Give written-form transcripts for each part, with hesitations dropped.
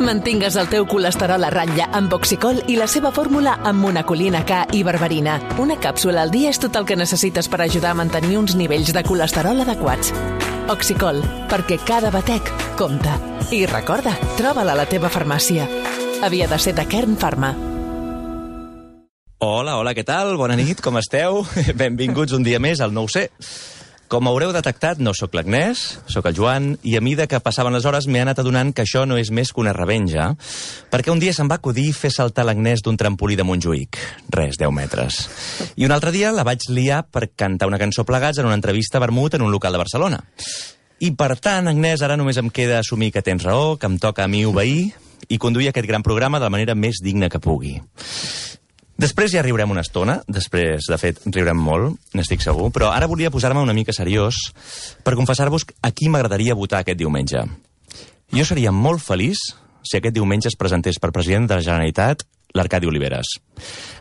Mantingues el teu colesterol a ratlla amb Oxicol i la seva fórmula amb monacolina K i berberina. Una càpsula al dia és tot el que necessites per ajudar a mantenir uns nivells de colesterol adequats. Oxicol, perquè cada batec compta. I recorda, troba-la a la teva farmàcia. Havia de ser de Kern Pharma. Hola, què tal? Bona nit, com esteu? Benvinguts un dia més al 9C. Com haureu detectat, no sóc l'Agnès, sóc el Joan, i a mida que passaven les hores m'he anat adonant que això no és més que una revenja, perquè un dia se'm va acudir fer saltar l'Agnès d'un trampolí de Montjuïc. Res, 10 metres. I un altre dia la vaig liar per cantar una cançó plegats en una entrevista a vermut en un local de Barcelona. I per tant, Agnès, ara només em queda assumir que tens raó, que em toca a mi obeir i conduir aquest gran programa de la manera més digna que pugui. Després ja riurem una estona, després, de fet, riurem molt, n'estic segur, però ara volia posar-me una mica seriós per confessar-vos a qui m'agradaria votar aquest diumenge. Jo seria molt feliç si aquest diumenge es presentés per president de la Generalitat l'Arcadi Oliveres.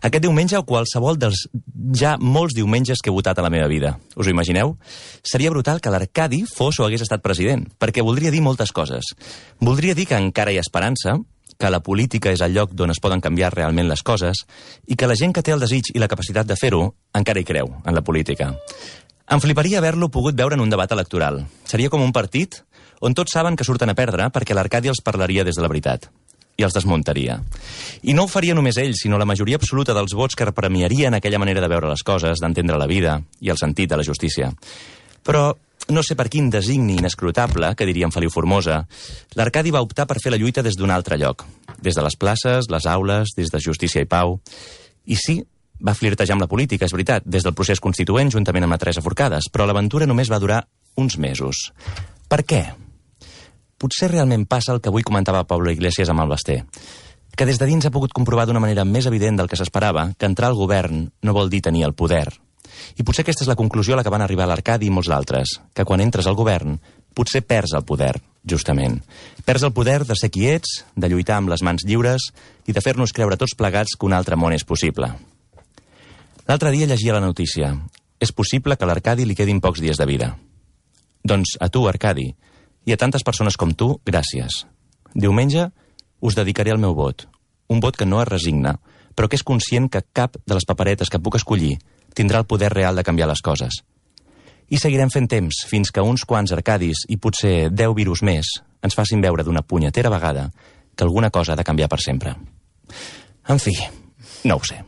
Aquest diumenge o qualsevol dels ja molts diumenges que he votat a la meva vida. Us ho imagineu? Seria brutal que l'Arcadi fos o hagués estat president, perquè voldria dir moltes coses. Voldria dir que encara hi ha esperança, que la política és el lloc d'on es poden canviar realment les coses i que la gent que té el desig i la capacitat de fer-ho encara hi creu, en la política. Em fliparia haver-lo pogut veure en un debat electoral. Seria com un partit on tots saben que surten a perdre perquè l'Arcadi els parlaria des de la veritat i els desmuntaria. I no ho faria només ell, sinó la majoria absoluta dels vots que premiarien aquella manera de veure les coses, d'entendre la vida i el sentit de la justícia. Però no sé per quin designi inescrutable, que diríem Feliu Formosa, l'Arcadi va optar per fer la lluita des d'un altre lloc. Des de les places, les aules, des de Justícia i Pau. I sí, va flirtejar amb la política, és veritat, des del procés constituent juntament amb la Teresa Forcades, però l'aventura només va durar uns mesos. Per què? Potser realment passa el que avui comentava Pablo Iglesias amb el Basté, que des de dins ha pogut comprovar d'una manera més evident del que s'esperava que entrar al govern no vol dir tenir el poder. I potser aquesta és la conclusió a la que van arribar l'Arcadi i molts altres, que quan entres al govern potser perds el poder, justament. Perds el poder de ser qui ets, de lluitar amb les mans lliures i de fer-nos creure tots plegats que un altre món és possible. L'altre dia llegia la notícia. És possible que a l'Arcadi li quedin pocs dies de vida. Doncs a tu, Arcadi, i a tantes persones com tu, gràcies. Diumenge us dedicaré el meu vot. Un vot que no es resigna, però que és conscient que cap de les paperetes que puc escollir tindrà el poder real de canviar les coses. I seguirem fent temps fins que uns quants Arcadis i potser 10 virus més ens facin veure d'una punyetera vegada que alguna cosa ha de canviar per sempre. En fi, no ho sé.